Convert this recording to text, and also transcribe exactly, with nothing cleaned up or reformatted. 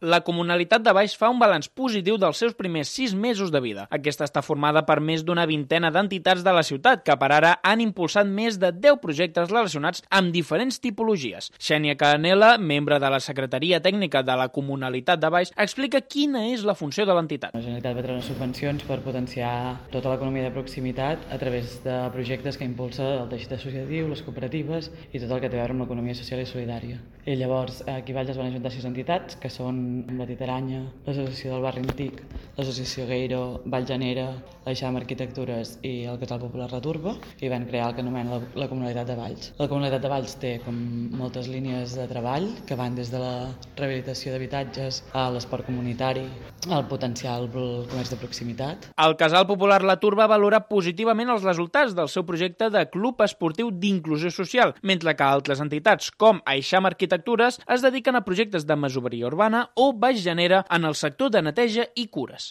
La Comunalitat de Valls fa un balanç positiu dels seus primers sis mesos de vida. Aquesta està formada per més d'una vintena d'entitats de la ciutat que per ara han impulsat més de deu projectes relacionats amb diferents tipologies. Xènia Canela, membre de la Secretaria Tècnica de la Comunalitat de Valls, explica quina és la funció de l'entitat. La Generalitat va treure subvencions per potenciar tota l'economia de proximitat a través de projectes que impulsa el teixit associatiu, les cooperatives i tot el que té a veure amb l'economia social i solidària. I llavors aquí a Valls es van ajuntar sis entitats que són la Titaranya, l'Associació del Barri Antic, l'Associació Gueiro, Valljanera, l'Eixam Arquitectures i el Casal Popular La Turba i van crear el que anomena la, la Comunalitat de Valls. La Comunalitat de Valls té com moltes línies de treball que van des de la rehabilitació d'habitatges a l'esport comunitari, al potencial pel comerç de proximitat. El Casal Popular La Turba valora positivament els resultats del seu projecte de club esportiu d'inclusió social, mentre que altres entitats com Aixam Arquitectures es dediquen a projectes de masoveria urbana o Valljanera en el sector de neteja i cures.